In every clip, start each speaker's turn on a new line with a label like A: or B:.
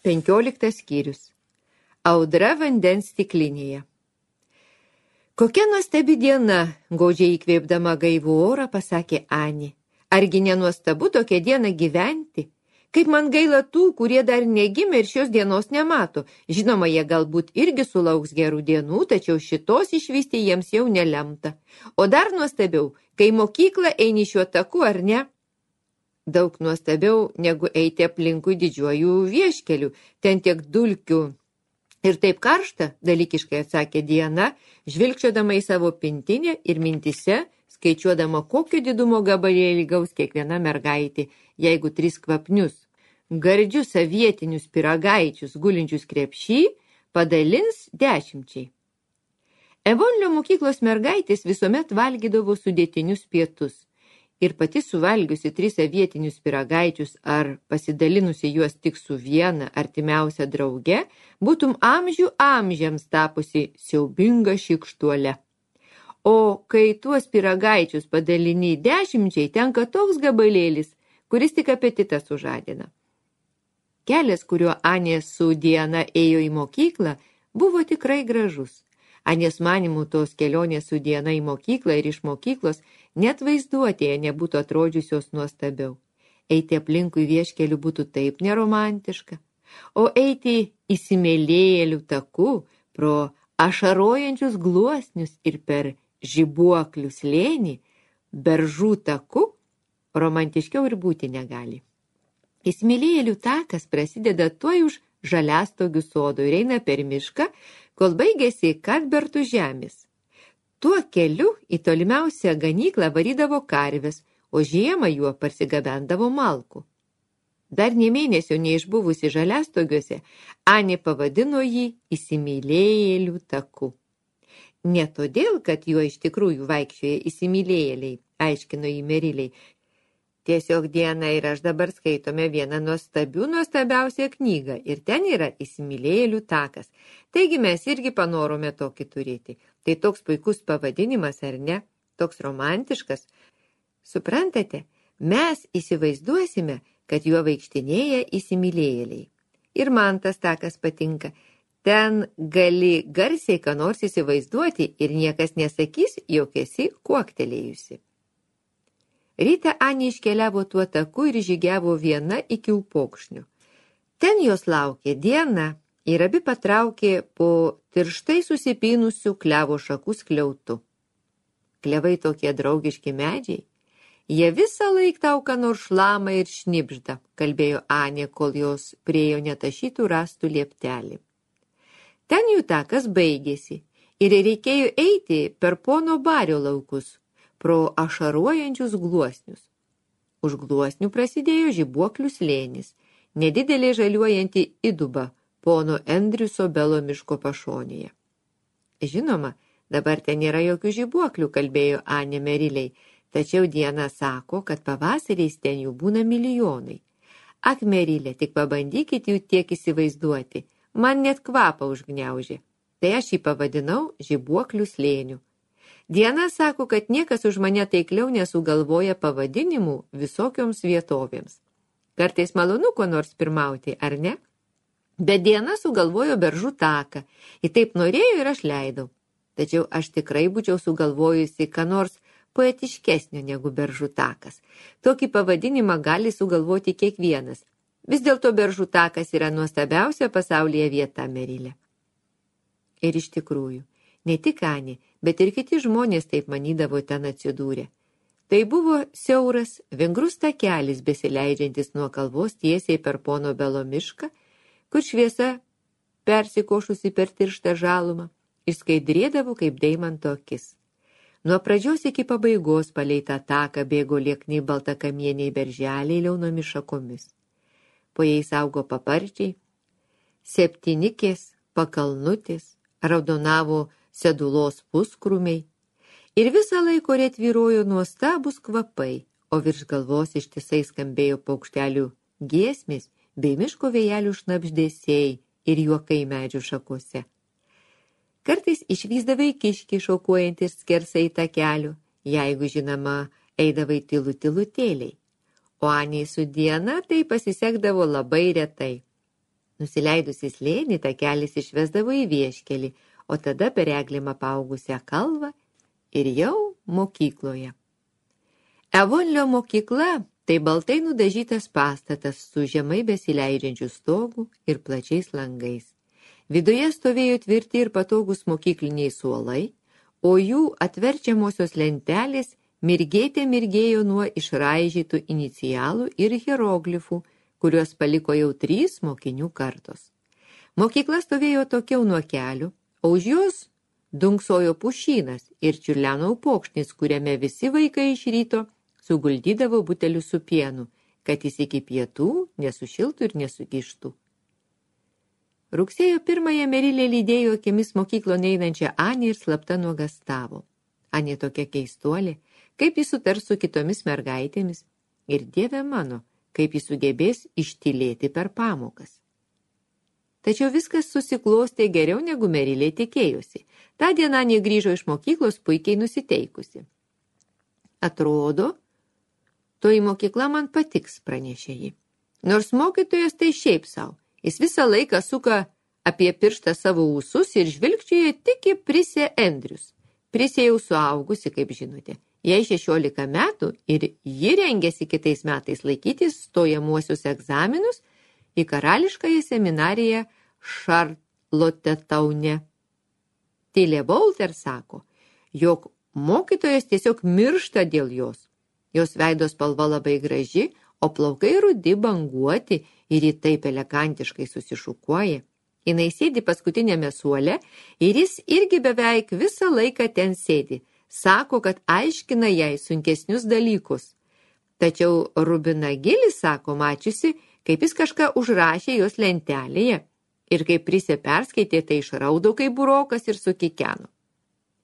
A: 15 skyrius. Audra vandens stiklinėje. Kokia nuostabi diena, gaudžiai įkvėpdama gaivų orą, pasakė Ani. Argi nenuostabu tokią dieną gyventi? Kaip man gaila tų, kurie dar negimė ir šios dienos nemato. Žinoma, jie galbūt irgi sulauks gerų dienų, tačiau šitos išvysti jiems jau nelemta. O dar nuostabiau, kai mokyklą eini šiuo taku, ar ne? Daug nuostabiau negu eiti aplinkui didžiuojų vieškelių, ten tiek dulkių. Ir taip karšta, dalykiškai atsakė Diana, žvilgčiodama į savo pintinę ir mintise, skaičiuodama, kokio didumo gabalėlį gaus kiekviena mergaitė, jeigu 3 kvapnius, gardžius avietinius pyragaičius gulinčius krepšį padalins 10. Evonlio mokyklos mergaitės visuomet valgydavo sudėtinius pietus. Ir pati suvalgiusi 3 avietinius pyragaičius ar pasidalinusi juos tik su viena artimiausia drauge, būtum amžių amžiams tapusi siaubinga šykštuole. O kai tuos pyragaičius padalini 10, tenka toks gabalėlis, kuris tik apetitą sužadina. Kelias, kuriuo Anė su Diana ėjo į mokyklą, buvo tikrai gražus. Anės manimų tos kelionės su Diana į mokyklą ir iš mokyklos net vaizduotėje nebūtų atrodžiusios nuostabiau. Eiti aplinkui vieškelių būtų taip neromantiška, o eiti įsimylėjėlių taku pro ašarojančius gluosnius ir per žibuoklių slėnį, beržų taku, romantiškiau ir būti negali. Įsimylėjėlių takas prasideda tuoj už žaliastogių sodo ir eina per mišką, kol baigėsi Kadbertų žemės. Tuo keliu į tolimiausią ganyklą varydavo karves, o žiemą juo parsigabendavo malkų. Dar nė mėnesio neišbuvusi žaliastogiuose, Anė pavadino jį įsimylėjėlių taku. Ne todėl, kad juo iš tikrųjų vaikščioja įsimylėjėliai, aiškino jį Meriliai. Tiesiog Diana ir aš dabar skaitome vieną nuostabiausią knygą ir ten yra įsimylėjėlių takas. Taigi mes irgi panorome tokį turėti. Tai toks puikus pavadinimas, ar ne? Toks romantiškas. Suprantate, mes įsivaizduosime, kad juo vaikštinėja įsimylėjėliai. Ir man tas takas patinka. Ten gali garsiai ką nors įsivaizduoti ir niekas nesakys, jog esi kuoktelėjusi. Rytą Anė iškeliavo tuo taku ir žygiavo viena iki upokšnių. Ten jos laukė Diana ir abi patraukė po tirštai susipynusių klevo šakų skliautu. Klevai tokie draugiški medžiai. Jie visą laiką tau ką nors šlama ir šnibžda, kalbėjo Anė, kol jos priejo netašytų rastų lieptelį. Ten jų takas baigėsi ir reikėjo eiti per pono Bario laukus, pro ašaruojančius gluosnius. Už gluosnių prasidėjo žibuoklių slėnis, nedidelė žaliuojanti įduba pono Endriuso Belo miško pašonėje. Žinoma, dabar ten nėra jokių žibuoklių, kalbėjo Anė Meriliai, tačiau Diana sako, kad pavasariais ten jų būna milijonai. Ak, Merilė, tik pabandykit jų tiek įsivaizduoti, man net kvapą užgniaužė. Tai aš jį pavadinau žibuoklių slėniu. Diana sako, kad niekas už mane taikliau nesugalvoja pavadinimų visokioms vietovėms. Kartais malonu ko nors pirmauti, ar ne? Bet Diana sugalvojo beržų taką, ir taip norėjo ir aš leidau. Tačiau aš tikrai būčiau sugalvojusi ką nors poetiškesnio negu beržų takas. Tokį pavadinimą gali sugalvoti kiekvienas. Vis dėlto beržų takas yra nuostabiausia pasaulyje vieta, Merilė. Ir iš tikrųjų, ne tik Anė, bet ir kiti žmonės taip manydavo ten atsidūrė. Tai buvo siauras, vingrus takelis besileidžiantis nuo kalvos tiesiai per pono Belo mišką, kur šviesa, persikošusi per tirštą žalumą, išskaidrėdavo kaip deimanto akis. Nuo pradžios iki pabaigos palei tą taką bėgo liekni baltakamieniai berželiai liaunomis šakomis. Po jais augo paparčiai, septynikės, pakalnutės, raudonavo sedulos puskrūmiai ir visą laiką ore tvyrojo nuostabūs kvapai, o virš galvos ištisai skambėjo paukštelių giesmės bei miško vėjelių šnabždesiai ir juokai medžių šakose. Kartais išvysdavai kiškį šokuojantis skersai takelių, jeigu, žinoma, eidavai tylutėliai. O Anei su Diana tai pasisekdavo labai retai. Nusileidus į slėnį, takelis išvesdavo į vieškelį, o tada per eglėm apaugusią kalvą ir jau mokykloje. Evonlio mokykla tai baltai nudažytas pastatas su žemai besileidžiančiu stogu ir plačiais langais. Viduje stovėjo tvirti ir patogus mokykliniai suolai, o jų atverčiamosios lentelės mirgėjo nuo išraižytų inicialų ir hieroglifų, kuriuos paliko jau 3 mokinių kartos. Mokykla stovėjo tokiau nuo kelių, o už jos dunksojo pušynas ir čiurleno upokšnis, kuriame visi vaikai iš ryto suguldydavo butelius su pienu, kad jis iki pietų nesušiltų ir nesugištų. Rugsėjo 1 Merilė lydėjo akimis mokyklon einančią Anį ir slapta nuogastavo. Anė tokia keistuolė, kaip jis sutars su kitomis mergaitėmis ir Dieve mano, kaip jis sugebės ištylėti per pamokas. Tačiau viskas susiklostė geriau negu Merilė tikėjosi. Ta diena Anė grįžo iš mokyklos puikiai nusiteikusi. Atrodo, toji mokykla man patiks, pranešė ji. Nors mokytojas tai šiaip sau. Jis visą laiką suka apie pirštą savo ūsus ir žvilgčioje tik į Prisę Andrius. Prisė jau suaugusi, kaip žinote. Jai 16 metų ir ji rengėsi kitais metais laikyti stojamuosius egzaminus į karališkąją seminariją Šarlotetaune. Tilė Bolter sako, jog mokytojas tiesiog miršta dėl jos. Jos veido spalva labai graži, o plaukai rudi banguoti ir ji taip elegantiškai susišukuoja. Jinai sėdi paskutinėme suole ir jis irgi beveik visą laiką ten sėdi. Sako, kad aiškina jai sunkesnius dalykus. Tačiau Rubina Gilis sako, mačiusi, kaip jis kažką užrašė jos lentelėje ir kai Prisė perskaitė, tai išraudo kaip burokas ir sukikeno.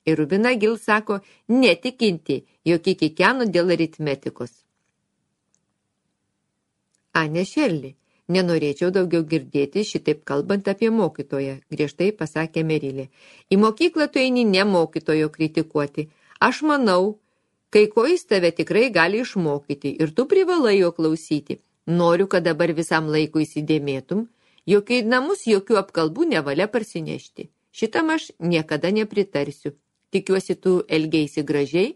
A: Ir Rubina Gil sako, netikinti, jog kikeno dėl aritmetikos. Anė Šerli, nenorėčiau daugiau girdėti šitaip kalbant apie mokytoją, griežtai pasakė Merilė. Į mokyklą tu eini ne mokytojo kritikuoti. Aš manau, kai ko jis tave tikrai gali išmokyti ir tu privalai jo klausyti. Noriu, kad dabar visam laikui įsidėmėtum, jog į namus jokių apkalbų nevalia parsinešti. Šitam aš niekada nepritarsiu. Tikiuosi, tu elgeisi gražiai?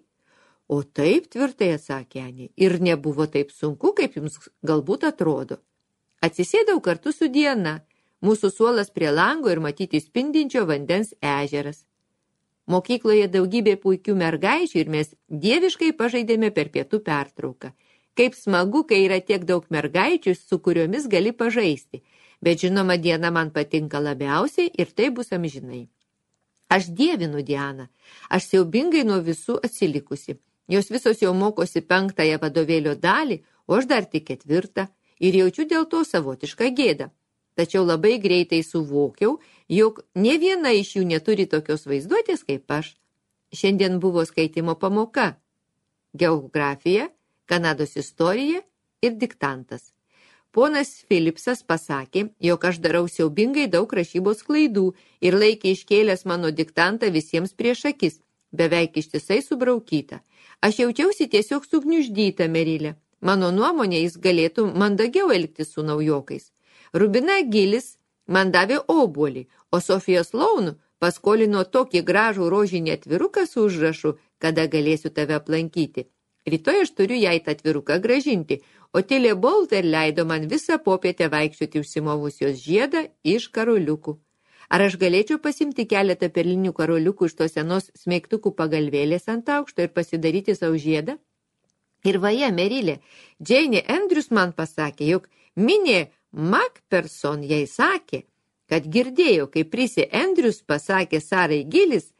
A: O taip, tvirtai atsakė Anė, ir nebuvo taip sunku, kaip jums galbūt atrodo. Atsisėdau kartu su Diana, mūsų suolas prie lango ir matyti spindinčio vandens ežeras. Mokykloje daugybė puikių mergaičių ir mes dieviškai pažaidėme per pietų pertrauką. Kaip smagu, kai yra tiek daug mergaičių, su kuriomis gali pažaisti. Bet žinoma, Diana man patinka labiausiai ir tai bus amžinai. Aš dievinu Dianą. Aš siaubingai nuo visų atsilikusi. Jos visos jau mokosi 5 vadovėlio dalį, o aš dar tik 4 ir jaučiu dėl to savotišką gėdą. Tačiau labai greitai suvokiau, jog ne viena iš jų neturi tokios vaizduotės kaip aš. Šiandien buvo skaitimo pamoka. Geografija, Kanados istorija ir diktantas. Ponas Philipsas pasakė, jog aš darau siaubingai daug rašybos klaidų ir laikė iškėlęs mano diktantą visiems prieš akis, beveik ištisai subraukyta. Aš jaučiausi tiesiog sugniuždyta, Merilė. Mano nuomonė, jis galėtų mandagiau elgtis su naujokais. Rubina Gilis man davė obuolį, o Sofija Sloan paskolino tokį gražų rožinį atviruką su užrašu, kada galėsiu tave aplankyti. Rytoj aš turiu jai tą atviruką gražinti, o Tilė Bolter leido man visą popietę vaikščioti užsimovus jos žiedą iš karoliukų. Ar aš galėčiau pasimti keletą perlinių karoliukų iš tos senos smeigtukų pagalvėlės ant aukšto ir pasidaryti savo žiedą? Ir vaja, Merilė, Džeinė Andrius man pasakė, jog Minė Macpherson jai sakė, kad girdėjo, kai Prisė Andrius pasakė Sarai Gilis,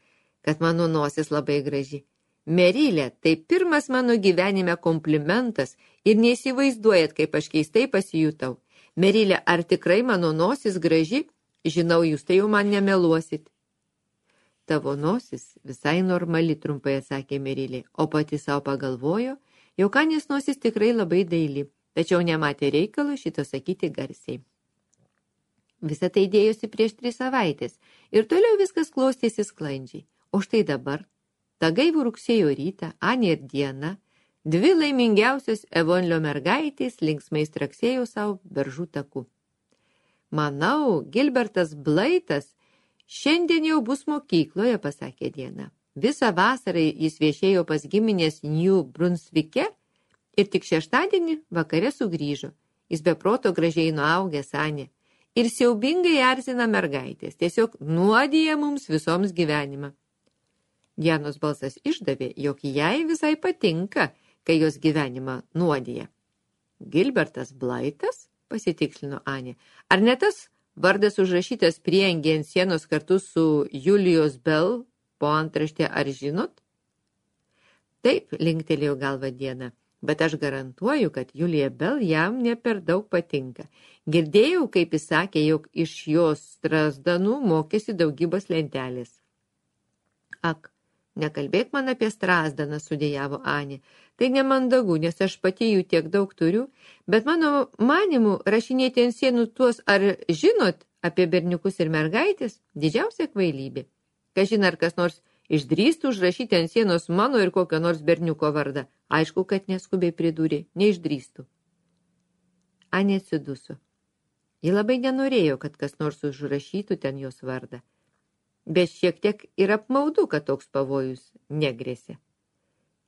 A: kad mano nosis labai graži. Merilė, tai pirmas mano gyvenime komplimentas ir neįsivaizduojat, kaip aš keistai pasijutau. Merilė, ar tikrai mano nosis graži? Žinau, jūs tai jau man nemeluosit. Tavo nosis visai normali, trumpai atsakė Merilė, o pati savo pagalvojo, jog Anės nosis tikrai labai daili, tačiau nematė reikalo šito sakyti garsiai. Visa tai dėjosi prieš 3 savaitės ir toliau viskas klostėsi sklandžiai. O štai dabar, tą gaivų rugsėjo rytą, Anė ir Diana, 2 laimingiausios Evonlio mergaitės linksmai straksėjo savo beržų taku. Manau, Gilbertas Blaitas šiandien jau bus mokykloje, pasakė Diena. Visą vasarą jis viešėjo pas giminės New Brunsvike ir tik šeštadienį vakare sugrįžo. Jis be proto gražiai nuaugęs, Anė. Ir siaubingai erzina mergaitės, tiesiog nuodija mums visoms gyvenimą. Dianos balsas išdavė, jog jai visai patinka, kai jos gyvenimą nuodija. Gilbertas Blaitas, pasitikslino Anė. Ar ne tas vardas užrašytas prieangyje ant sienos kartu su Julius Bell po antraštė, ar žinot? Taip, linktelėjo galva Diena. Bet aš garantuoju, kad Julija Bell jam ne per daug patinka. Girdėjau, kaip jis sakė, jog iš jos Strazdanų mokėsi daugybos lentelės. Ak, nekalbėk man apie Strazdaną, sudėjavo Anė. Tai nemandagu, nes aš pati jų tiek daug turiu, bet mano manimu rašinėti ant sienų tuos, ar žinot apie berniukus ir mergaitės, didžiausia kvailybė. Kažin ar kas nors išdrįstų užrašyti ant sienos mano ir kokio nors berniuko vardą. Aišku, kad neskubiai pridūrė, neišdrįstų. Anė atsiduso. Ji labai nenorėjo, kad kas nors užrašytų ten jos vardą. Bet šiek tiek ir apmaudu, kad toks pavojus negrėsė.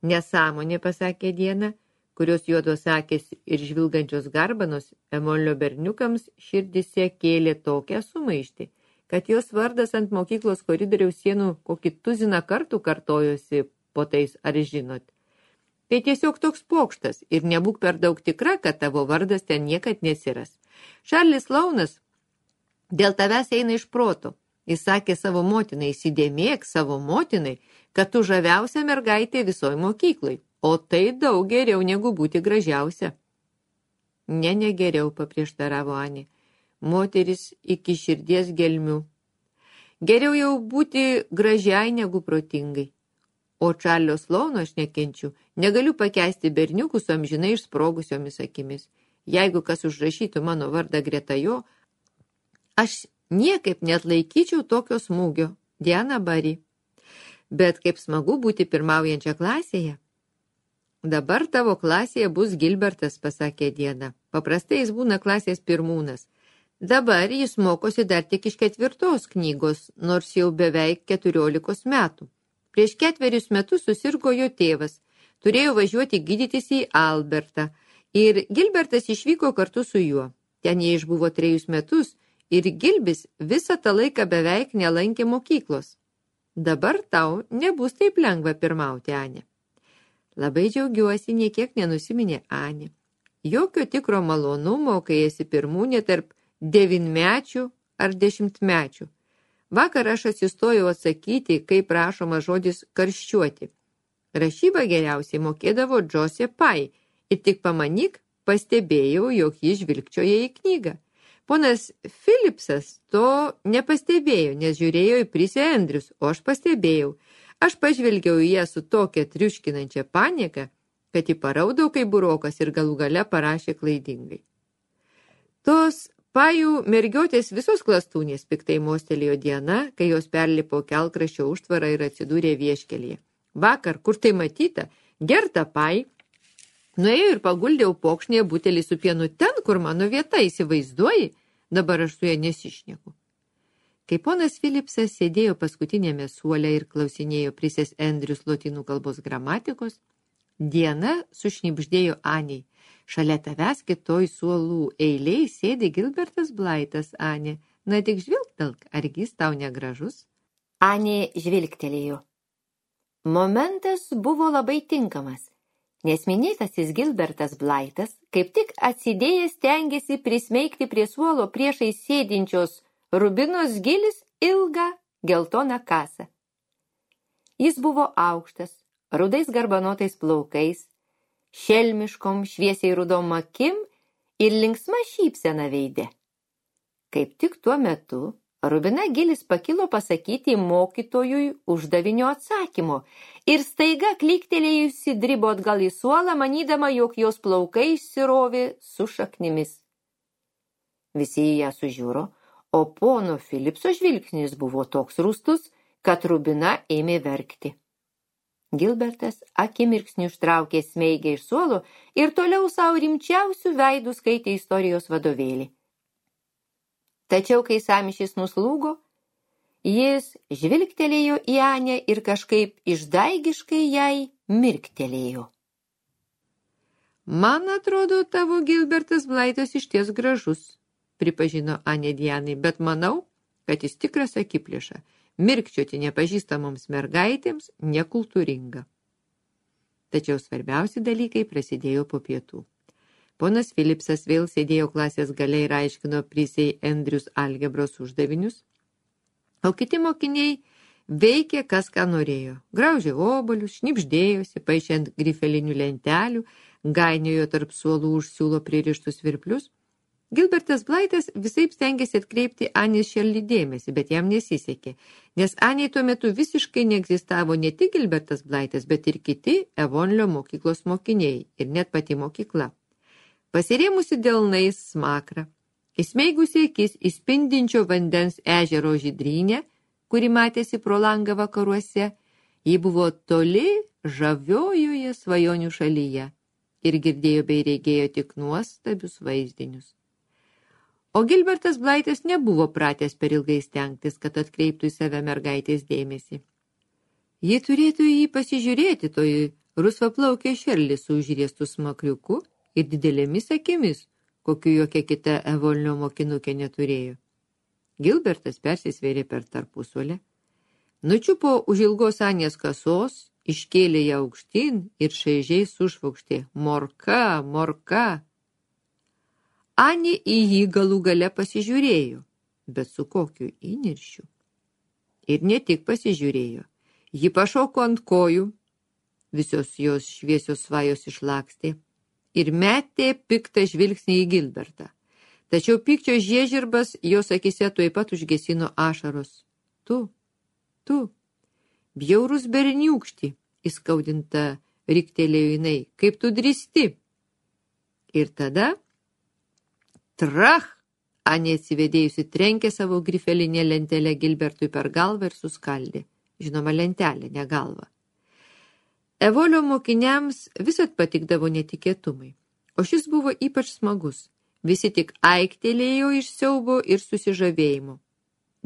A: Nesąmonė, pasakė Diena, kurios juodos akės ir žvilgančios garbanos Emolio berniukams širdise kėlė tokią sumaištį, kad jos vardas ant mokyklos koridoriaus sienų kokį tuziną kartų kartojosi po tais, ar žinot. Tai tiesiog toks pokštas ir nebūk per daug tikra, kad tavo vardas ten niekad nesiras. Šarlis Launas dėl tavęs eina iš proto. Jis sakė savo motinai, įsidėmėk savo motinai, kad tu žaviausia mergaitė visoj mokyklai, o tai daug geriau negu būti gražiausia. Ne geriau, paprieštaravo Anė. Moteris iki širdies gelmių. Geriau jau būti gražiai negu protingai. O Čarlio Slauno aš nekenčiu. Negaliu pakęsti berniukų su amžinai išsprogusiomis akimis. Jeigu kas užrašytų mano vardą greta jo, aš niekaip neatlaikyčiau tokio smūgio. Diana Bari. Bet kaip smagu būti pirmaujančia klasėje. Dabar tavo klasėje bus Gilbertas, pasakė Diana. Paprastai jis būna klasės pirmūnas. Dabar jis mokosi dar tik iš 4 knygos, nors jau beveik 14 metų. Prieš 4 metus susirgo jo tėvas, turėjo važiuoti gydytis į Albertą ir Gilbertas išvyko kartu su juo. Ten jie išbuvo 3 metus ir Gilbis visą tą laiką beveik nelankė mokyklos. Dabar tau nebus taip lengva pirmauti, Anė. Labai džiaugiuosi, niekiek nenusiminė Anė. Jokio tikro malonumo, kai esi pirmūnė tarp 9-mečių ar 10-mečių. Vakar aš atsistojau atsakyti, kaip prašoma žodis karščiuoti. Rašybą geriausiai mokėdavo Džosė Pai ir tik pamanyk, pastebėjau, jog ji žvilgčioja į knygą. Ponas Philipsas to nepastebėjo, nes žiūrėjo į Prisę Andrius, o aš pastebėjau. Aš pažvelgiau į ją su tokia triuškinančia panieka, kad ji paraudau kaip burokas ir galų gale parašė klaidingai. Tos Pajų mergiotės visos klastūnės, piktai mostelėjo Diana, kai jos perlipo kelkraščio užtvarą ir atsidūrė vieškelyje. Vakar, kur tai matyta, Gerta Pai nuėjo ir paguldė upokšnėje butelį su pienu ten, kur mano vieta, įsivaizduoji, dabar aš su ja nesišneku. Kai ponas Philipsas sėdėjo paskutinėme suole ir klausinėjo Prisės Andrius lotynų kalbos gramatikos, Diana sušnibždėjo Anei. Šalia tavęs kitoj suolų eiliai sėdi Gilbertas Blaitas, Anė. Na tik žvilgtelk, argi jis tau negražus?
B: Anė žvilgtelėjo. Momentas buvo labai tinkamas, nes minėtasis Gilbertas Blaitas kaip tik atsidėjęs stengėsi prismeigti prie suolo priešai sėdinčios Rubinos Gilis ilgą geltoną kasą. Jis buvo aukštas, rudais garbanotais plaukais, šelmiškom šviesiai rudom akim ir linksma šypsena veide. Kaip tik tuo metu Rubina Gilis pakilo pasakyti mokytojui uždavinio atsakymo ir staiga kliktelėjusi dribo atgal į suolą, manydama, jog jos plaukai išsirovė su šaknimis. Visi ją sužiūro, o pono Philipso žvilgsnis buvo toks rūstus, kad Rubina ėmė verkti. Gilbertas akimirksniu ištraukė smeigę iš suolo ir toliau savo rimčiausių veidų skaitė istorijos vadovėlį. Tačiau, kai sąmyšis nuslūgo, jis žvilgtelėjo į Anę ir kažkaip išdaigiškai jai mirktelėjo.
A: Man atrodo, tavo Gilbertas Blaitas išties gražus, pripažino Anė Dianai, bet manau, kad jis tikras akiplėša. Mirkčioti nepažįstamoms mergaitėms nekultūringa. Tačiau svarbiausi dalykai prasidėjo po pietų. Ponas Philipsas vėl sėdėjo klasės gale ir aiškino Prisei Andrius algebros uždavinius, o kiti mokiniai veikė kas ką norėjo. Graužė obuolius, šnibždėjosi, paišė ant grifelinių lentelių, gainiojo tarp suolų už siūlo pririštus virplius. Gilbertas Blaitas visaip stengėsi atkreipti Anės Šerli dėmesį, bet jam nesisekė, nes Anei tuo metu visiškai neegzistavo ne tik Gilbertas Blaitas, bet ir kiti Evonlio mokyklos mokiniai ir net pati mokykla. Pasirėmusi delnais smakrą, įsmeigusi akis į spindinčio vandens ežero žydrynę, kuri matėsi pro langą vakaruose, ji buvo toli žaviojoje svajonių šalyje ir girdėjo bei regėjo tik nuostabius vaizdinius. O Gilbertas Blaitas nebuvo pratęs per ilgai stengtis, kad atkreiptų į save mergaitės dėmesį. Ji turėtų į jį pasižiūrėti, toji rusvaplaukė Šerli su užriestų smakriuku ir didelėmis akimis, kokiu jokia kita Evolnio mokinukė neturėjo. Gilbertas persisvėrė per tarpusuolę, nučiupo už ilgos Anės kasos, iškėlė ją aukštyn ir šaižiai sušvokštė: Morka, morka! Anė į jį galų gale pasižiūrėjo, bet su kokiu įniršiu. Ir ne tik pasižiūrėjo, ji pašoko ant kojų, visos jos šviesios svajos išlakstė ir metė piktą žvilgsnį į Gilbertą. Tačiau pykčio žiežirbas jos akise tuoj pat užgesino ašaros. Tu, bjaurus berniūkšti, įskaudinta riktelėjo jinai, kaip tu drįsti. Ir tada trach! Anė atsivedėjusi trenkė savo grifelinę lentelę Gilbertui per galvą ir suskaldė. Žinoma, lentelė, ne galva. Evolio mokiniams visad patikdavo netikėtumai, o šis buvo ypač smagus. Visi tik aiktelėjo iš siaubo ir susižavėjimo.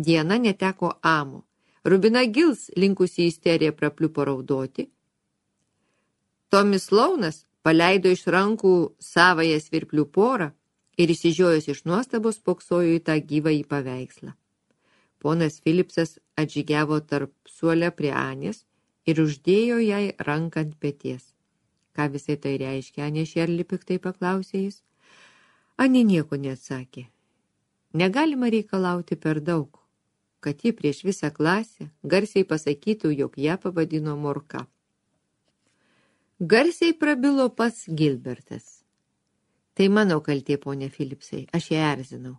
A: Diena neteko amo. Rubina Gils, linkusi į isteriją, prapliupo raudoti. Tomis Launas paleido iš rankų savąją svirplių porą ir įsižiojęs iš nuostabos spoksojo į tą gyvąjį paveikslą. Ponas Philipsas atžygiavo tarp suolę prie Anės ir uždėjo jai ranką ant peties. Ką visai tai reiškia, Anė Šerli, piktai paklausė jis. Anė nieko neatsakė. Negalima reikalauti per daug, kad ji prieš visą klasę garsiai pasakytų, jog ją pavadino morka. Garsiai prabilo pats Gilbertas. Tai mano kaltė, ponė Philipsai, aš ją erzinau.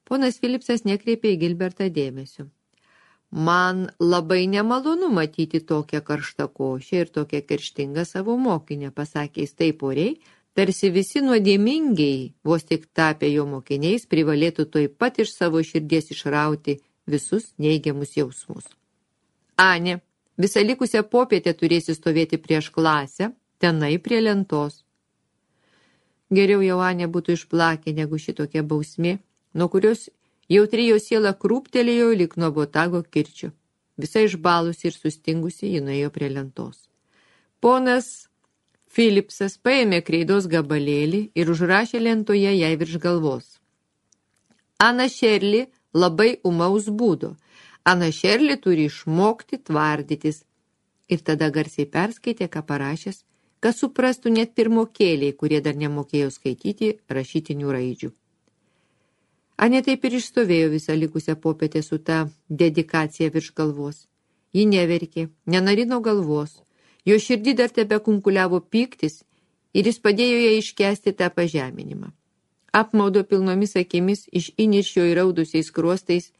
A: Ponas Philipsas nekreipė į Gilbertą dėmesio. Man labai nemalonu matyti tokią karštakošę ir tokią kerštingą savo mokinę, pasakė jis taip oriai, tarsi visi nuodėmingiai, vos tik tapę jo mokiniais, privalėtų tuoj pat iš savo širdies išrauti visus neigiamus jausmus. Anė, visą likusią popietę turėsi stovėti prieš klasę, tenai prie lentos. Geriau jau Anė būtų išplakę negu šitokia bausmė, nuo kurios jautri jo siela krūptelėjo lyg nuo botago kirčio. Visa išbalusi ir sustingusi, ji nuėjo prie lentos. Ponas Philipsas paėmė kreidos gabalėlį ir užrašė lentoje jai virš galvos. Ana Šerli labai umaus būdo. Ana Šerli turi išmokti tvardytis. Ir tada garsiai perskaitė, ką parašęs, kad suprastų net pirmokėliai, kurie dar nemokėjo skaityti rašytinių raidžių. Anė taip ir išstovėjo visą likusią popietę su ta dedikacija virš galvos. Ji neverkė, nenarino galvos, jo širdį dar tebe kunkuliavo pyktis ir jis padėjo ją iškęsti tą pažeminimą. Apmaudo pilnomis akimis iš įniršio įraudusiais skruostais,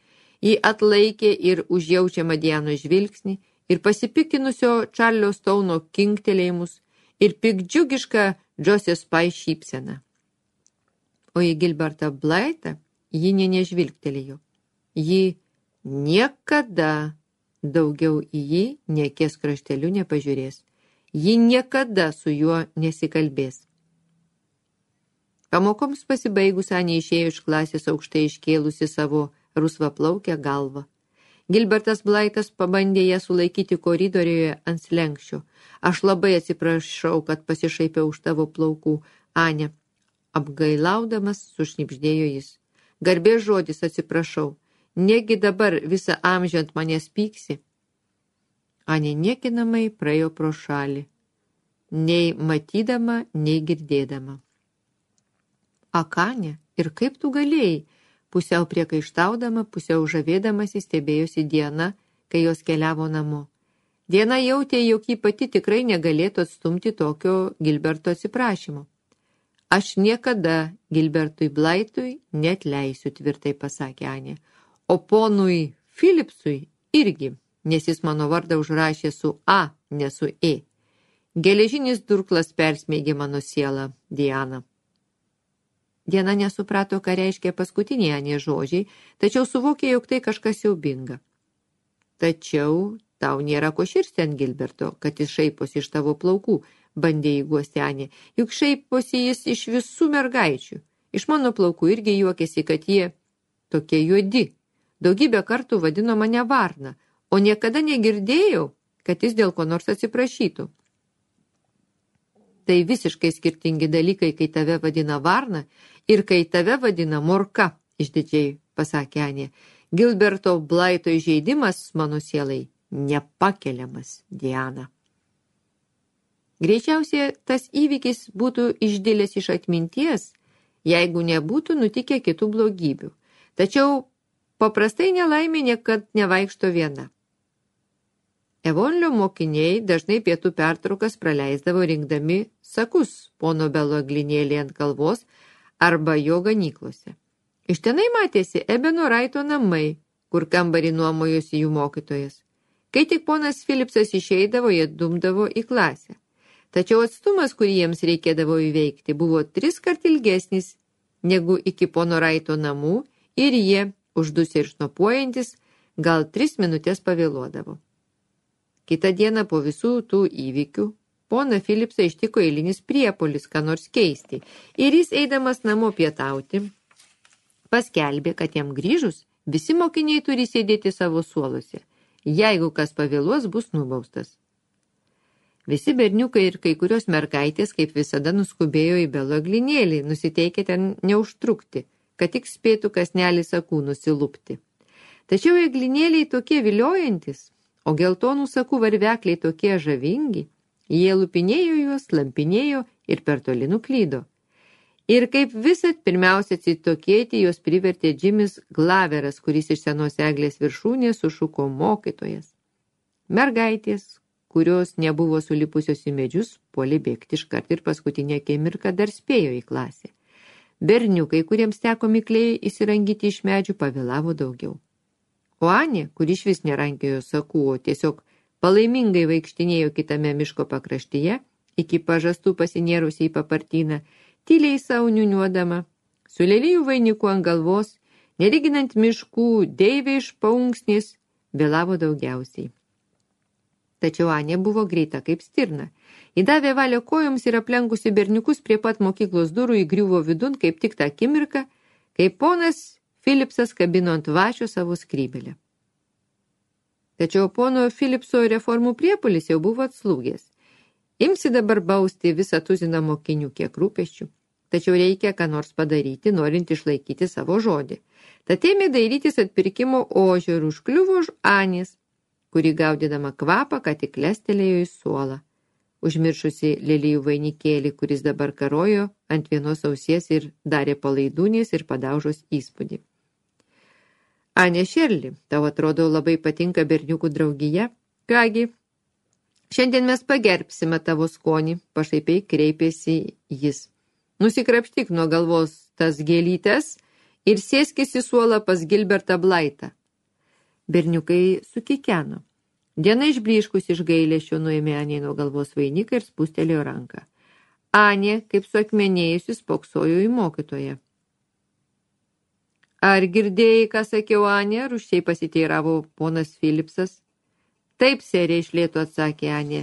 A: ji atlaikė ir užjaučiamą Dianos žvilgsnį ir pasipiktinusio Čarlio Stauno kinktelėjimus ir pikdžiugišką Džosės Pai šypseną. O į Gilbertą Blaitą ji nežvilgtelėjo. Ji niekada daugiau į jį nė akies krašteliu nepažiūrės. Ji niekada su juo nesikalbės. Pamokoms pasibaigus Anė išėjo iš klasės aukštai iškėlusi savo rusvaplaukę galvą. Gilbertas Blaitas pabandė ją sulaikyti koridoriuje ant slenkščio. Aš labai atsiprašau, kad pasišaipiau už tavo plaukų, Anė. Apgailaudamas sušnibždėjo jis. Garbės žodis atsiprašau. Negi dabar visą amžių ant manęs pyksi. Anė niekinamai praėjo pro šalį. Nei matydama, nei girdėdama. Akanė, ir kaip tu galėjai? Pusiau priekaištaudama, pusiau žavėdamasi stebėjosi Diana, kai jos keliavo namo. Diana jautė, jog ji pati tikrai negalėtų atstumti tokio Gilberto atsiprašymo. Aš niekada Gilbertui Blaitui neatleisiu, tvirtai pasakė Anė. O ponui Philipsui irgi, nes jis mano vardą užrašė su A, ne su E. Geležinis durklas persmeigė mano sielą, Diana. Diana nesuprato, ką reiškia paskutiniai Anės žodžiai, tačiau suvokė, jog tai kažkas siaubinga. Tačiau tau nėra ko širsti ant Gilberto, kad jis šaiposi iš tavo plaukų, bandė įguosti Anė. Juk šaiposi jis iš visų mergaičių. Iš mano plaukų irgi juokėsi, kad jie tokie juodi. Daugybę kartų vadino mane varna, o niekada negirdėjau, kad jis dėl ko nors atsiprašytų. Tai visiškai skirtingi dalykai, kai tave vadina varna ir kai tave vadina morka, išdidžiai pasakė Anė. Gilberto Blaito įžeidimas mano sielai nepakeliamas, Diana. Greičiausiai tas įvykis būtų išdėlęs iš atminties, jeigu nebūtų nutikę kitų blogybių. Tačiau paprastai nelaimė niekad nevaikšto viena. Evonlio mokiniai dažnai pietų pertraukas praleisdavo rinkdami sakus pono Belo glinėlį ant kalvos arba jo ganyklose. Iš tenai matėsi Ebeno Raito namai, kur kambarį nuomojosi jų mokytojas. Kai tik ponas Philipsas išeidavo, jie dumdavo į klasę. Tačiau atstumas, kurį jiems reikėdavo įveikti, buvo 3 kart ilgesnis negu iki pono Raito namų ir jie, uždusę ir šnopuojantis, gal 3 minutės pavėluodavo. Kitą dieną po visų tų įvykių poną Philipsą ištiko eilinis priepuolis, ką nors keisti, ir jis, eidamas namo pietauti, paskelbė, kad jam grįžus visi mokiniai turi sėdėti savo suoluose. Jeigu kas pavėluos, bus nubaustas. Visi berniukai ir kai kurios mergaitės, kaip visada, nuskubėjo į Belo glinėlį, nusiteikę ten neužtrukti, kad tik spėtų kasnelį sakų nusilupti. Tačiau eglinėliai tokie viliojantis, o geltonų sakų varvekliai tokie žavingi, jie lupinėjo juos, lampinėjo ir per toli nuklydo. Ir kaip visat pirmiausia atsitokėti, jos privertė Jimis Glaveras, kuris iš senos eglės viršūnės sušuko mokytojas. Mergaitės, kurios nebuvo sulipusios į medžius, puolė bėgti iškart ir paskutinę akimirką dar spėjo į klasę. Berniukai, kuriems teko mikliai įsirangyti iš medžių, pavėlavo daugiau. O Anė, kuri išvis nerankiojo sakų, o tiesiog palaimingai vaikštinėjo kitame miško pakraštyje, iki pažastų pasinėrusi į papartyną, tyliai savo niūniuodama, su lelijų vainiku ant galvos, nelyginant miškų, deivė iš paunksnės, vėlavo daugiausiai. Tačiau Anė buvo greita kaip stirna. Įdavė valią kojoms ir aplenkusi berniukus prie pat mokyklos durų įgriuvo vidun kaip tik tą akimirką, kai ponas Philipsas kabino ant vašio savo skrybelę. Tačiau pono Philipso reformų priepuolis jau buvo atslūgęs. Imsi dabar bausti visą tuziną mokinių, kiek rūpesčių. Tačiau reikia ką nors padaryti, norint išlaikyti savo žodį. Tad ėmė dairytis atpirkimo ožio ir užkliuvo už Anės, kuri gaudydama kvapą, ką tik lestelėjo į suolą, užmiršusi lelijų vainikėlį, kuris dabar karojo ant vienos ausies ir darė palaidūnės ir padaužos įspūdį. Anė Šerli, tau atrodo labai patinka berniukų draugija? Kągi, šiandien mes pagerbsime tavo skonį, pašaipiai kreipėsi jis. Nusikrapštyk nuo galvos tas gėlytes ir sėskis į suolą pas Gilbertą Blaitą. Berniukai sukikeno. Diena išblyškus iš gailesčio nuėmė Anė nuo galvos vainiką ir spustelėjo ranką. Anė, kaip suakmenėjusi, spoksojo į mokytoją. Ar girdėjai, ką sakiau, Anė? Rūsčiai pasiteiravo ponas Philipsas. Taip, serė, iš lėto atsakė Anė.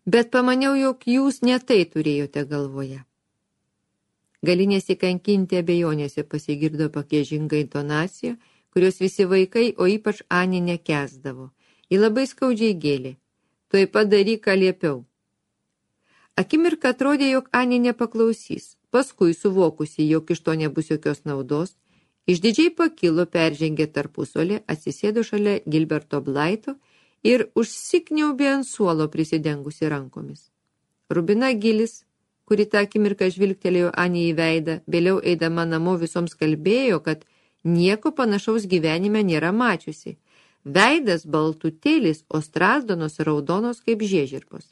A: Bet pamaniau, jog jūs ne tai turėjote galvoje. Gali nesikankinti abejonėse, pasigirdo pakėžinga intonacija, kurios visi vaikai, o ypač Anė nekęsdavo. Ji labai skaudžiai gėlė. Tuoj padaryk, ką liepiau. Akimirką atrodė, jog Anė nepaklausys. Paskui, suvokusi, jog iš to nebus jokios naudos, išdidžiai pakilo, peržengė tarpusolį, atsisėdo šalia Gilberto Blaito ir užsikniaubė ant suolo prisidengusi rankomis. Rubina Gilis, kuri tą akimirką žvilgtelėjo Anį į veidą, vėliau eidama namo visoms kalbėjo, kad nieko panašaus gyvenime nėra mačiusi. Veidas baltutėlis, o strazdonos raudonos kaip žiežirbos.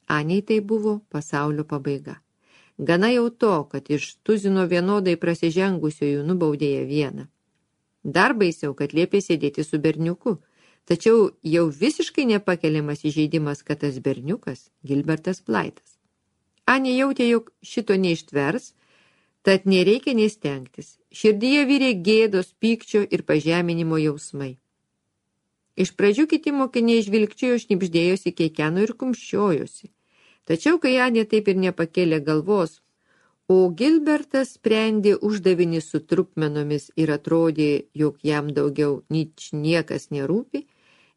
A: Anei tai buvo pasaulio pabaiga. Gana jau to, kad iš tuzino vienodai prasižengusiųjų nubaudė ją vieną. Dar baisiau, kad liepė sėdėti su berniuku, tačiau jau visiškai nepakeliamas įžeidimas, kad tas berniukas Gilbertas Blaitas. Anė jautė, jog šito neištvers, tad nereikia nestengtis. Širdyje vyrė gėdos, pykčio ir pažeminimo jausmai. Iš pradžių kiti mokiniai žvilgčiojo, šnibždėjosi, keikeno ir kumščiojosi. Tačiau, kai Anė taip ir nepakėlė galvos, o Gilbertas sprendė uždavinį su trupmenomis ir atrodė, jog jam daugiau niekas nerūpi,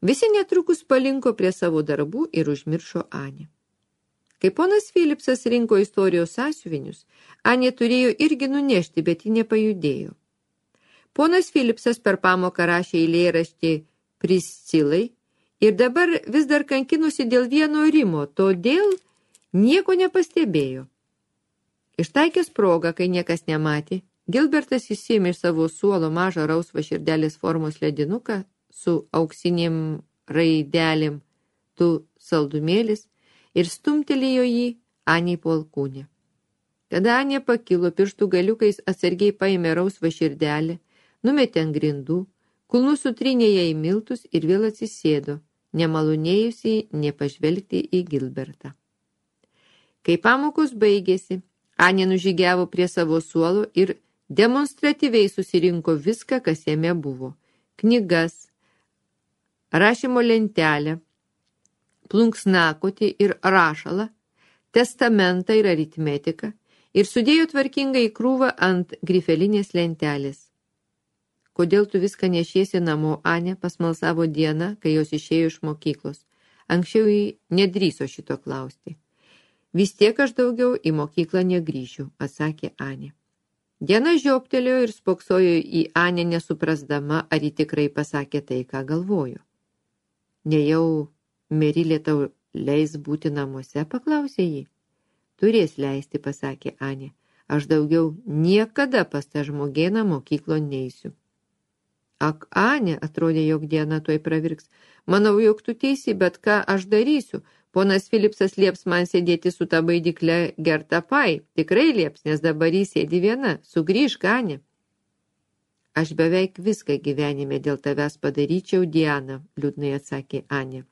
A: visi netrukus palinko prie savo darbų ir užmiršo Anę. Kai ponas Philipsas rinko istorijos sąsiuvinius, Anė turėjo irgi nunešti, bet ji nepajudėjo. Ponas Philipsas per pamoką rašė eilėraštį Priscilai ir dabar vis dar kankinosi dėl vieno rimo, todėl nieko nepastebėjo. Ištaikęs progą, kai niekas nematė, Gilbertas įsėmė iš savo suolo mažą rausvą širdelės formos ledinuką su auksinėm raidelėm, tu saldumėlis, ir stumtelėjo jį Anei po alkūnę. Tada Anė pakilo, pirštų galiukais atsargiai paėmė rausvą širdelę, numetė ant grindų, kulnų sutrynė ją į miltus ir vėl atsisėdo, nemalonėjusiai nepažvelgti į Gilbertą. Kai pamokos baigėsi, Anė nužygiavo prie savo suolo ir demonstratyviai susirinko viską, kas jame buvo. Knygas, rašymo lentelę, plunksnakotį ir rašalą, testamentą ir aritmetiką ir sudėjo tvarkingai į krūvą ant grifelinės lentelės. Kodėl tu viską nešiesi namo, Anė, pasmalsavo Diena, kai jos išėjo iš mokyklos. Anksčiau jį nedrįso šito klausti. Vis tiek aš daugiau į mokyklą negrįšiu, atsakė Anė. Diena žioptelėjo ir spoksojo į Anę nesuprasdama, ar ji tikrai pasakė tai, ką galvojo. Nejau Merilė tau leis būti namuose, paklausė ji. Turės leisti, pasakė Anė. Aš daugiau niekada pas tą žmogėną mokyklo neisiu. Ak, Anė, atrodė, jog Diena tuoj pravirks. Manau, jog tu teisi, bet ką aš darysiu? Ponas Philipsas lieps man sėdėti su ta baidykle Gerta Pai. Tikrai lieps, nes dabar jį sėdi viena. Sugrįžk, Anė. Aš beveik viską gyvenime dėl tavęs padaryčiau, Diana, liūdnai atsakė Anė.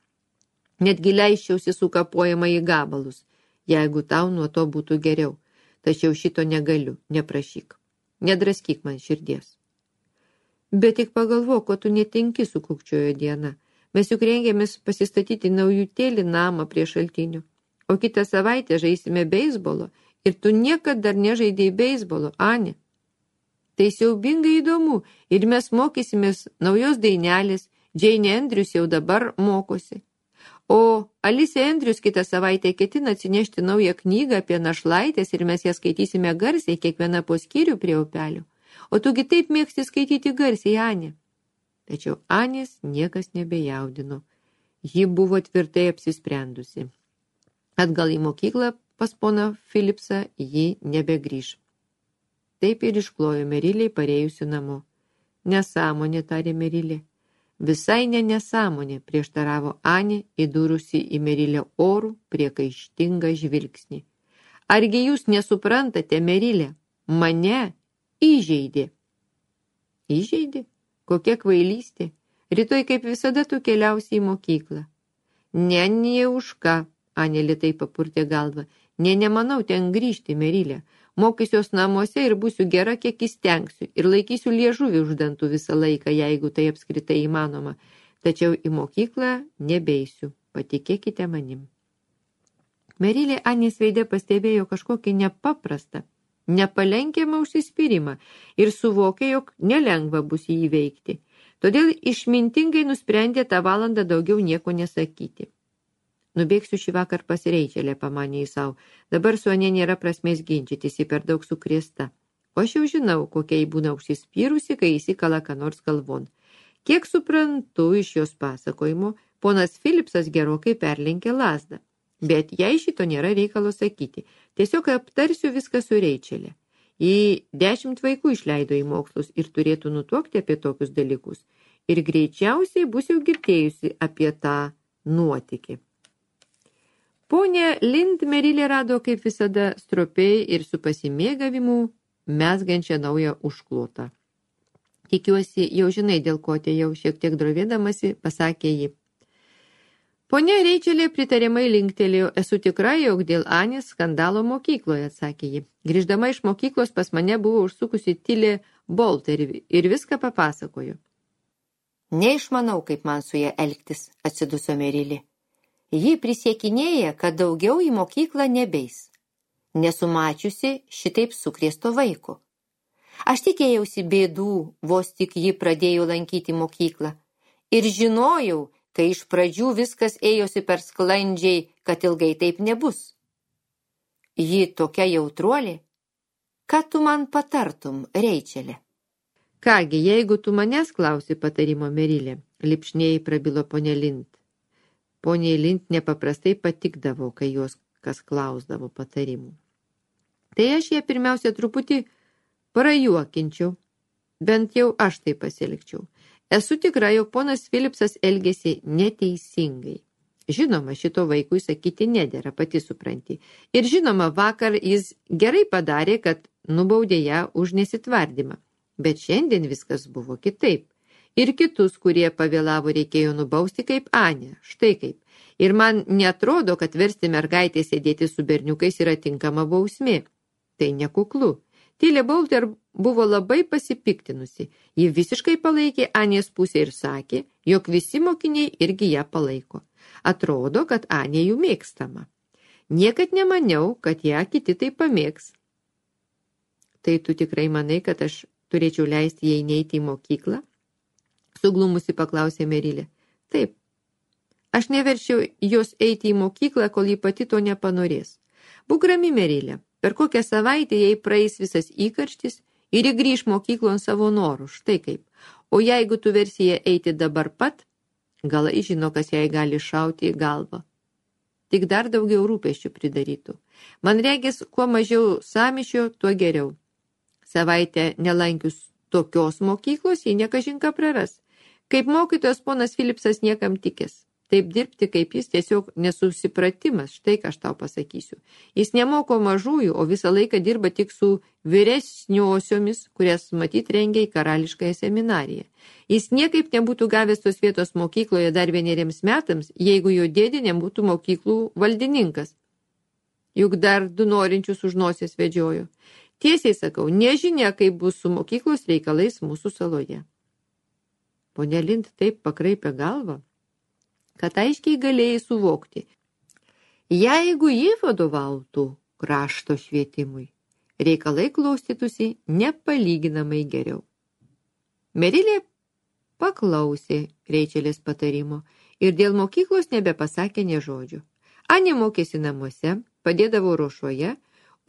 A: Netgi leiščiausi sukapojama į gabalus, jeigu tau nuo to būtų geriau. Tačiau šito negaliu, neprašyk. Nedraskyk man širdies. Bet tik pagalvok, ko tu netinki, sukukčiojo Diena. Mes juk rengėmės pasistatyti naujutėlį namą prie šaltinių. O kitą savaitę žaisime beisbolo ir tu niekad dar nežaidėjai beisbolo, Anė. Tai siaubingai įdomu ir mes mokysimės naujos dainelės, Jane Andrews jau dabar mokosi. O Alice Andrews kitą savaitę ketina atsinešti naują knygą apie našlaitės ir mes ją skaitysime garsiai, kiekviena po skyrių prie upelio. O tugi taip mėgsti skaityti garsiai, Anė. Tačiau Anės niekas nebejaudino. Ji buvo tvirtai apsisprendusi. Atgal į mokyklą pas poną Philipsą ji nebegrįš. Taip ir išklojo Merilei parėjusi namo. Nesąmonė, tarė Merilė. Visai nesąmonė, prieštaravo Anė, įdūrusi į Merilę orų priekaištingą žvilgsnį. Argi jūs nesuprantate, Merilė? Mane įžeidė. Įžeidė? Kokia kvailystė. Rytoj kaip visada tu keliausi į mokyklą. Ne už ką, Anė lėtai papurtė galvą. Nemanau ten grįžti, Merilė. Mokysiuos namuose ir būsiu gera, kiek įstengsiu, ir laikysiu liežuvį už dantų visą laiką, jeigu tai apskritai įmanoma. Tačiau į mokyklą nebeisiu, patikėkite manim. Merilė Anės veide pastebėjo kažkokį nepaprastą, nepalenkiamą užsispyrimą ir suvokė, jog nelengva bus jį įveikti. Todėl išmintingai nusprendė tą valandą daugiau nieko nesakyti. Nubėgsiu šį vakar pas Reičelę, pamanė jis savo. Dabar su Ane nėra prasmės ginčytis, ji per daug sukrėsta. O aš jau žinau, kokia jį būna užsispyrusi, kai įsikala ką nors galvon. Kiek suprantu iš jos pasakojimo, ponas Philipsas gerokai perlenkė lazdą. Bet jei šito nėra reikalo sakyti, tiesiog aptarsiu viską su Reičelė. Ji 10 vaikų išleido į mokslus ir turėtų nutuokti apie tokius dalykus. Ir greičiausiai bus jau girdėjusi apie tą nuotykį. Ponia Lind Merilė rado kaip visada stropiai ir su pasimėgavimu mezgančią naują užklotą. Tikiuosi, jau žinai, dėl ko atėjau, šiek tiek drovėdamasi, pasakė ji. Ponia Reičelė pritariamai linktelėjo, esu tikra, jog dėl Anės skandalo mokykloje, atsakė ji. Grįždama iš mokyklos pas mane buvo užsukusi Tilė Bolter ir viską papasakojo.
B: Neišmanau, kaip man su ją elgtis, atsiduso Merilė. Ji prisiekinėja, kad daugiau į mokyklą nebeis. Nesumačiusi šitaip sukrėsto vaiko. Aš tikėjausi bėdų, vos tik ji pradėjo lankyti mokyklą. Ir žinojau, kai iš pradžių viskas ėjosi per sklandžiai, kad ilgai taip nebus. Ji tokia jautruolė. Ką tu man patartum, Reičelė?
A: Kągi, jeigu tu manęs klausi patarimo, Merilė, lipšniai prabilo ponia Lind. Poniai Lind nepaprastai patikdavo, kai jos kas klausdavo patarimų. Tai aš ją pirmiausia truputį prajuokinčiau, bent jau aš tai pasielgčiau. Esu tikra, jog ponas Philipsas elgėsi neteisingai. Žinoma, šito vaikui sakyti nedėra, pati supranti. Ir žinoma, vakar jis gerai padarė, kad nubaudė ją už nesitvardymą. Bet šiandien viskas buvo kitaip. Ir kitus, kurie pavėlavo, reikėjo nubausti kaip Anę. Štai kaip. Ir man netrodo, kad versti mergaitę sėdėti su berniukais yra tinkama bausmė. Tai nekuklu. Tilė Bolter buvo labai pasipiktinusi. Ji visiškai palaikė Anės pusę ir sakė, jog visi mokiniai irgi ją palaiko. Atrodo, kad Anė jų mėgstama. Niekad nemaniau, kad ją kiti tai pamėgs. Tai tu tikrai manai, kad aš turėčiau leisti jai neiti į mokyklą? Suglumusi paklausė Merilė. Taip. Aš neverčiau jos eiti į mokyklą, kol ji pati to nepanorės. Būk rami, Merilė. Per kokią savaitę jai praeis visas įkarštis ir ji grįš mokyklon savo norų, štai kaip. O jeigu tu versi ją eiti dabar pat, gal žino, kas jai gali šauti į galvą. Tik dar daugiau rūpesčių pridarytų. Man regis, kuo mažiau sąmyšio, tuo geriau. Savaitę nelankius tokios mokyklos, ji nekažinką praras. Kaip mokytojas ponas Philipsas niekam tikės. Taip dirbti kaip jis tiesiog nesusipratimas, štai ką aš tau pasakysiu. Jis nemoko mažųjų, o visą laiką dirba tik su vyresniosiomis, kurias matyt rengia į karališkąją seminariją. Jis niekaip nebūtų gavęs tos vietos mokykloje dar 1 metams, jeigu jo dėdė nebūtų mokyklų valdininkas. Juk dar 2 norinčius už nosies vedžiojo. Tiesiai sakau, nežinia, kaip bus su mokyklos reikalais mūsų saloje. Ponia Lind taip pakraipė galvą, kad aiškiai galėjai suvokti. Jeigu ji vadovautų krašto švietimui, reikalai klostytųsi nepalyginamai geriau. Merilė paklausė Reičelės patarimo ir dėl mokyklos nebepasakė nė žodžio. Anė mokėsi namuose, padėdavo ruošoje,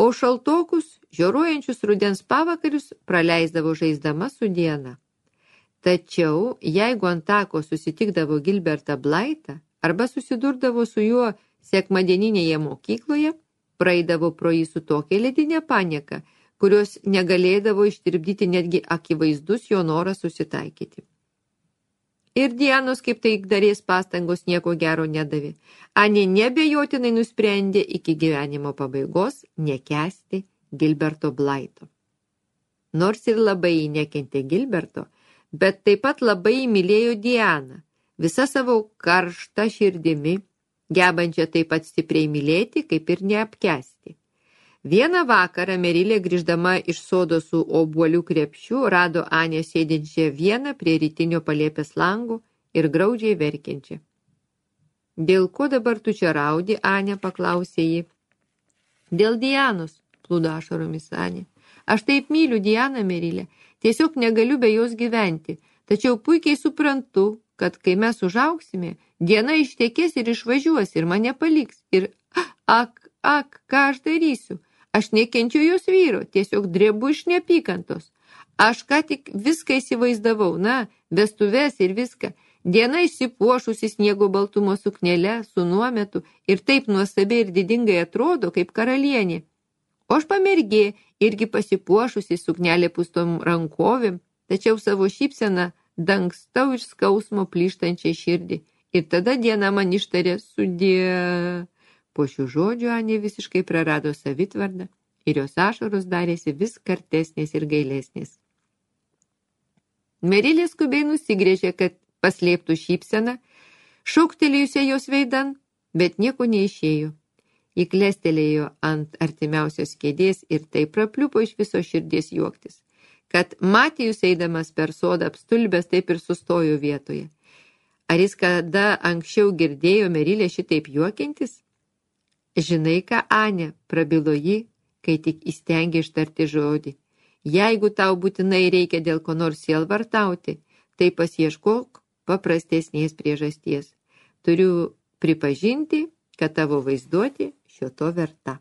A: o šaltokus, žioruojančius rudens pavakarius praleisdavo žaisdama su Diana. Tačiau, jeigu ant tako susitikdavo Gilbertą Blaitą arba susidurdavo su juo sekmadieninėje mokykloje, praeidavo pro jį su tokia ledinė panieka, kurios negalėdavo ištirpdyti netgi akivaizdus jo noras susitaikyti. Ir Dianos kaip taikdarės pastangos nieko gero nedavė. Anė nebejotinai nusprendė iki gyvenimo pabaigos nekęsti Gilberto Blaito. Nors ir labai nekentė Gilberto, bet taip pat labai mylėjo Dianą, visą savo karštą širdimi, gebančią taip pat stipriai mylėti, kaip ir neapkęsti. Vieną vakarą Merilė, grįždama iš sodo su obuolių krepšiu, rado Anę sėdinčią vieną prie rytinio palėpės lango ir graudžiai verkiančią. Dėl ko dabar tu čia raudi, Anė, paklausė ji. Dėl Dianos, plūdo ašaromis Anė. Aš taip myliu Dianą, Merilę, tiesiog negaliu be jos gyventi, tačiau puikiai suprantu, kad kai mes užaugsime, Diana ištekės ir išvažiuos ir mane paliks. Ir ką aš darysiu? Aš nekenčiu jos vyro, tiesiog drebu iš neapykantos. Aš ką tik viską įsivaizdavau, vestuves ir viską. Diena išsipuošusi sniego baltumo suknele su nuometu ir taip nuostabiai ir didingai atrodo kaip karalienė. O aš pamergė, irgi pasipuošusi suknelė pustom rankovėm, tačiau savo šypseną dangstau iš skausmo plyštančiai širdį. Ir tada Diana man ištarė sudie. Po šių žodžių Anė visiškai prarado savitvardą ir jos ašaros darėsi vis kartesnės ir gailesnės. Merilė skubiai nusigrėžė, kad paslėptų šypseną, šauktelėjusią jos veidan, bet nieko neišėjo. Ji klestelėjo ant artimiausios kėdės ir taip prapliupo iš viso širdies juoktis, kad Matijus eidamas per sodą apstulbęs taip ir sustojo vietoje. Ar jis kada anksčiau girdėjo Merilę šitaip juokiantis? Žinai ką, Anė, prabilo ji, kai tik įstengė ištarti žodį. Jeigu tau būtinai reikia dėl ko nors sielvartauti, tai pasieškok paprastesnės priežasties. Turiu pripažinti, kad tavo vaizduotė šio to verta.